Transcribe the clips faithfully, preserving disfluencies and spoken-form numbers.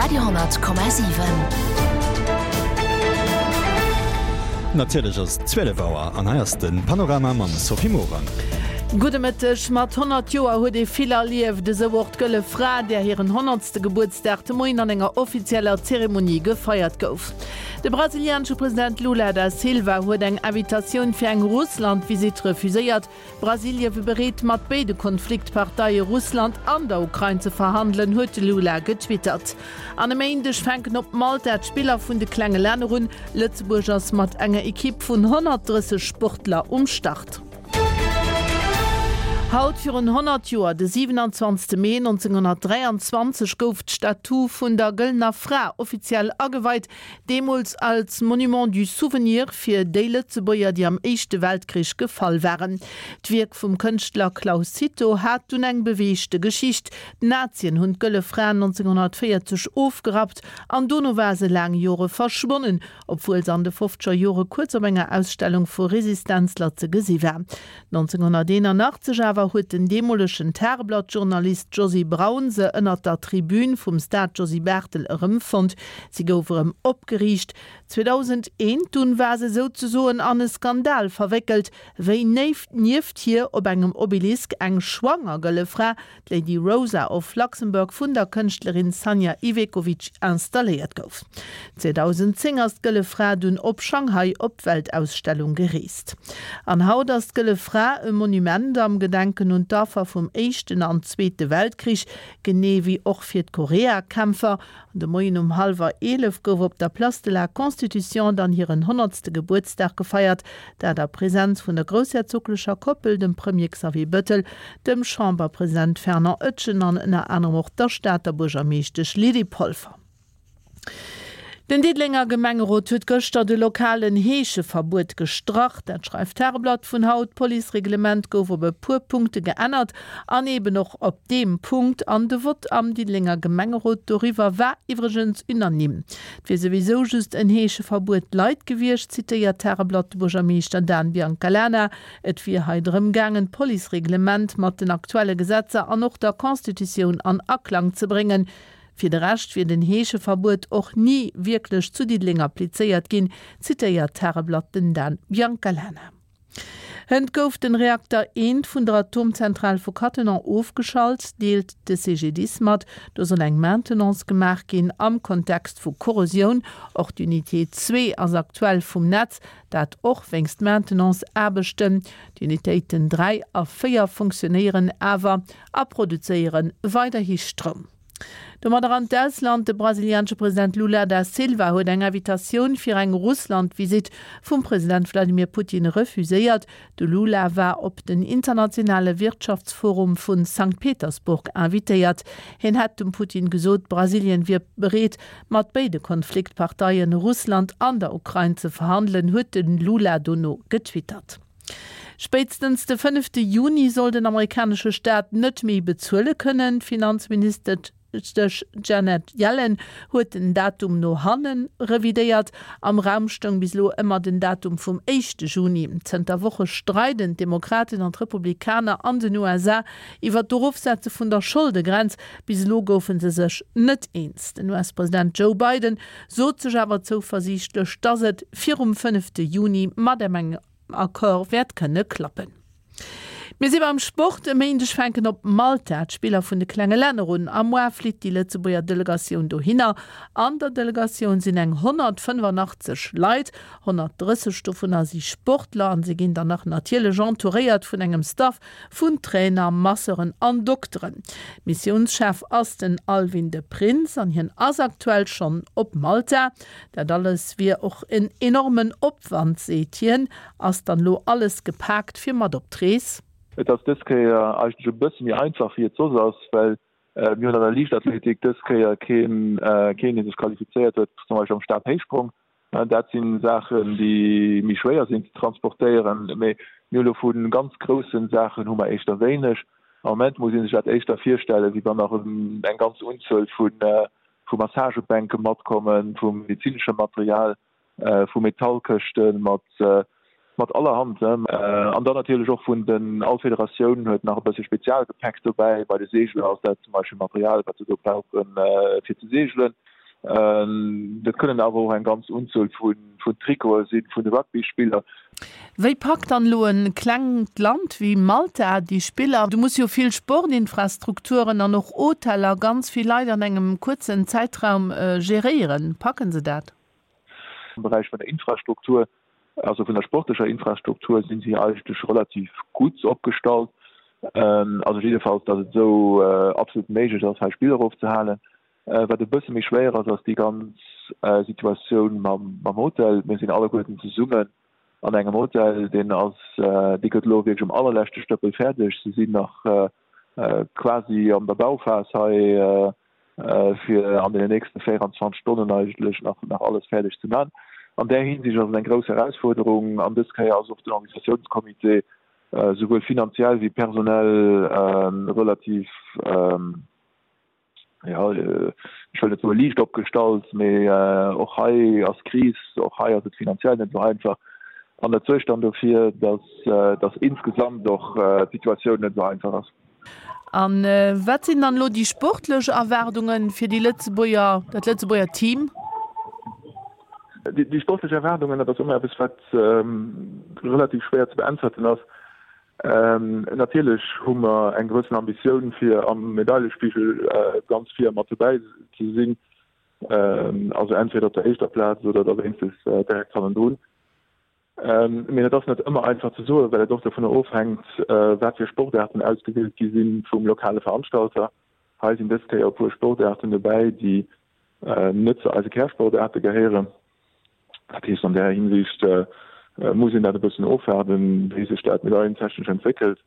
Radio honnert Komma siwen. Natierlech ass et zwielef Auer an hei ass de Panorama mam Sophie Morang. Gudde Mëtteg. Mat honnert Joer huet ee vill erlieft, esou och d'Gëlle Fra, där hiren honnertste Gebuertsdag de Moien an enger offizieller Zeremonie gefeiert gouf. De brasilianesche President Lula da Silva huet eng Invitatioun fir eng Russland-Visitt refuséiert. Brasilie wier bereet, mat béide Konfliktparteie Russland an der Ukrain ze verhandelen, huet de Lula getwittert. An e Méindeg fänken op Malta d'Spiller vun de klenge Länner un. Lëtzebuerg ass mat enger Ekipp vun honnertdrësseg Sportler um Start. Haut virun honnert Joer, de siwenanzwanzegste Mee nonzénghonnertdräianzwanzeg, gouf d'Statu vun der Gëllener Fra offiziell ageweit, deemools als Monument du Souvenir fir déi Lëtzebuerger, déi am Éischte Weltkrich gefall waren. D'Wierk vum Kënschtler Claus Cito hat dunn eng beweegte Geschicht. D'Nazien hunn d'Gëlle Fra nonzénghonnertvéierzeg ofgerappt an dono war se laang Jore verschwonnen, obwuel se an de fofzeger Jore kuerz op enger Ausstellung vu Resistenzler ze gesi war. nonzénghonnerteenanachtzeg awer huet den deemolegen Tageblatt-Journalist Josy Braun se ënnert der Tribün vum Stade Josy Barthel erëmfonnt. Si gouf erëm opgeriicht. zweedausendeent dunn war se souzesoen an e Skandal verwéckelt, wéi nieft hir op engem Obelisk eng schwanger gëlle Fra, d'Lady Rosa of Luxembourg, vun der Kënschtlerin Sanja Ivekovic installéiert gouf. zweedausendzéng ass d'Gëlle Fra dunn op Shanghai op d'Weltausstellung gereest. An haut ass d'Gëlle Fra e Monument am Gedenken un d'Affer vum Éischten an Zweete Weltkrich, genee wéi och fir d'Koreakämpfer. An de Moien um hallwer eelef gouf op der Place de la Constitution dann hiren honnertste Gebuertsdag gefeiert, dat a Presenz vun der groussherzoglecher Koppel, dem Premier Xavier Bettel, dem Chamberpresident Fernand Etgen an ënner anerem och der Stater Buergermeeschtesch Lydie Polfer. Den Diddelenger Gemengerot huet gëschter de lokalen Heescheverbuet gestrach. Dat schreift d'Tageblatt vun haut. D'Policereglement gouf op e puer Punkte geännert an eben och op deem Punkt. An de Vott am Diddelenger Gemengerot doriwwer war iwwregens unanime. Et wier souwisou just en Heescheverbuet light gewiescht, zitéiert d'Tageblatt de Buergermeeschter Dan Biancalana. Et wier hei drëm gaangen, d'Policereglement mat den aktuelle Gesetzer an och der Constitutioun an Aklang ze bréngen. Fir de Rescht wier den Heescheverbuet och ni wierklech zu Diddeleng applizéiert ginn, zitéiert d'Tageblatt den Dan Biancalana. Hënt gouf den Reakter eent vun der Atomzentral vu Cattenom ofgeschalt, deelt de C G D I S mat. Do soll eng Maintenance gemaach ginn am Kontext vu Korrosioun. Och d'Unité zwee ass aktuell vum Netz, dat och wéinst Maintenance-Aarbechten. D'Unitéiten dräi a véier funktionéieren awer a produzéiere weiderhi Stroum. Domadder an d'Ausland, De brasilianesche President Lula da Silva huet eng Invitatioun fir eng Russland-Visitt vum President Wladimir Putin refuséiert. De Lula war op den internationale Wirtschaftsforum vu Sankt Petersburg invitéiert. Hien hätt dem Putin gesot, Brasilien wier bereet, mat béide Konfliktparteien, Russland an der Ukrain, ze verhandelen, huet de Lula dono getwittert. Spéitstens de fënnefte Juni soll den amerikanesche Staat net méi bezuele kënnen. D'Finanzministesch Janet Yellen huet den Datum no hanne revidéiert. Am Raum stoung bis elo ëmmer den Datum vum éischte Juni. Zënter Woche streiden d'Demokraten an d'Republikaner an den U S A iwwer d'Erofsetze vun der Scholdegrenz. Bis elo goufe se sech net eens. Den U S-President Joe Biden sot sech awer zouversiichtlech, datt et virum fënnefte Juni mat engem Accord wäert kënne klappen. Mir si beim Sport. E Méindeg fänken op Malta d'Spiller vun de klenge Länner un. A muer flitt déi Lëtzebuerger Delegatioun dohinner. An der Delegatioun sinn eng honnertfënnefanachtzeg Leit, honnertdrësseg dovunner si Sportler an se ginn dann nach natierlech entouréiert vun engem Staff vun Trainer, Masseuren an Dokteren. Missiounschef ass den Alwin de Prins an hien ass aktuell schonn op Malta. Dat alles wier och en enormen Opwand, seet hien. Ass dann elo alles gepaakt fir mat op d'Rees? Et ass dës Kéier eigentlech e bësse méi einfach wéi et soss ass, well mir hunn an der Liichtathletik dës Kéier keen, keen dee sech qualifizéiert huet, zum Beispill am Stabhéichsprong. Dat si Saachen, déi méi schwéier sinn ze transportéieren. Mee mir hu lo vu ganz grousse Saachen hu mer éischter wéineg. Am Moment muss ee sech dat éischter virstellen, wéi wann nach eng ganz Unzuel vu vu Massagebänke matkommen, vu medezineschem Material, vu Metallkëschte mat mat allerhand. An dann natierlech och vun den, all Federatioun huet nach e bësse Spezialgepäck dobäi. Bei de Seegler ass dat zum Beispill Material, wat se do brauchen, fir ze seegelen. Dat kënnen awer och eng ganz Unzuel vun Trikote sinn vun de Rugbyspiller. Wéi packt dann elo e klengt Land wéi Malta déi Spiller? Do musse jo vill Sportinfrastrukturen an och Hoteller, ganz vill Leit an engem kuerzen Zäitraum geréieren. Packen se dat? Am Beräich vun der Infrastruktur, also vun der sportlecher Infrastruktur, sinn si eigentlech relativ gutt opgestallt. Also jiddefalls, datt et esou absolut méiglech ass, hei Spiller ofzehalen. Wat e bësse méi schwéier ass, ass déi ganz Situatioun mam Hotel. Mir sinn alleguerten zesummen an engem Hotel, deen ass, dee gëtt elo wierklech um allerleschte Stëppel fäerdeg. Se sinn nach quasi an der Bauphas hei, fir an deenen nächste véierundzwanzeg Stonnen eigentlech nach nach alles fäerdeg ze man. An där Hinsicht ass et eng grouss Erausfuerderung an dës Kéier ass och den Organisatiounscomité souwuel finanziell wéi personell relativ, jo, ech wëll net soe liicht opgestallt, mee och hei ass Kris, och hei ass et finanziell net esou einfach. An dat suergt dann dofir, dass, dass insgesamt och d'Situatioun net esou einfach ass. A wat sinn dann elo déi sportlech Erwaardunge fir déi Lëtzebuerger, dat Lëtzebuerger Team? Déi sportlech Erwaardungen, dat ass ëmmer eppes, wat relativ schwéier ze beäntwerten ass. Natierlech hu mer eng gewëssen Ambitioun, fir am Medailespigel ganz vir mat dobäi ze sinn, also entweder op der éischter Plaz oder da wéinstens direkt hannendrun. Mee et ass net ëmmer einfach ze soen, well et och dovunner ofhänkt, wat fir Sportaarten ausgewielt gi si vum lokale Veranstalter. Hei sinn dës Kéier e puer Sportaarten dobäi, déi net zu eise Kärsportaarte gehéieren. Dat heescht, an där Hinsicht muss een dat e bëssen ofwaarden, wéi sech dat medailentechnesch entwéckelt.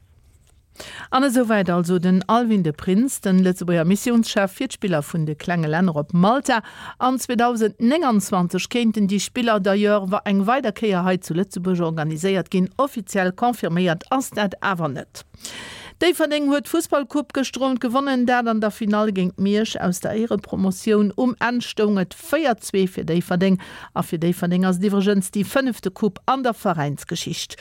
An esouwäit also den Alwin de Prins, den Lëtzebuerger Missiounschef fir d'Spiller vun de klenge Länner op Malta. An zweedausendnénganzwanzeg kéinten déi Spiller d'ailleurs eng weider Kéier hei zu Lëtzebuerg organiséiert ginn. Offiziell confirméiert ass dat awer net. Déifferdeng huet d'Fussballcoupe gëschter Owend gewonnen, dat an der Finall géint Miersch aus der Éierepromotioun. Um Enn stoung et véier, zwee fir Déifferdeng. A fir Déifferdeng ass et iwwregens déi fënnefte Coupe an der Veräinsgeschicht.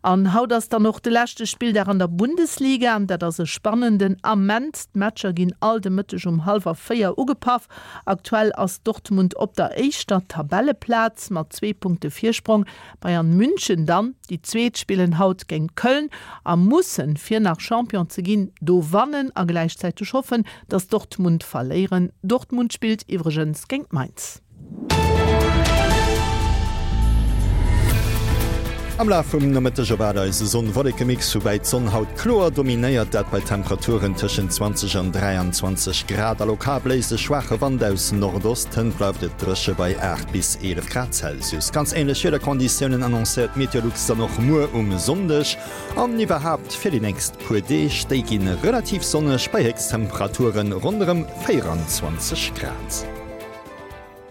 An haut ass dann och de leschte Spilldag an der Bundesliga an dat ass e spannenden Ament. D'Matcher ginn all de Mëtteg um hallwer véier ugepaff. Aktuell ass Dortmund op der éischter Tabelleplaz mat zwee Punkte Virsprong. Bayern München dann, déi Zweet, spillen haut géint Köln a mussen, fir nach Champion ze ginn, do wannen a gläichzäiteg hoffen, datt Dortmund verléieren. Dortmund spillt iwwregens géint Mainz. Am Laf vum Nomëtteg erwaart eis e Sonn-Wolleke-Mix, woubäi d'Sonn haut kloer dominéiert, dat bei Temperaturen tëschent zwanzeg an dräianzwanzeg Grad. A lokal bléist e schwaache Wand aus Nordost, hënt bleift et dréche bei aacht bis eelef Grad Celsius. Ganz änlech Wiederkonditiounen annoncéiert Meteolux dann och muer um Sonndeg an iwwerhaapt fir déi nächst puer Deeg. Déi gi relativ sonneg bei Héchsttemperaturen ronderëm véieranzwanzeg Grad.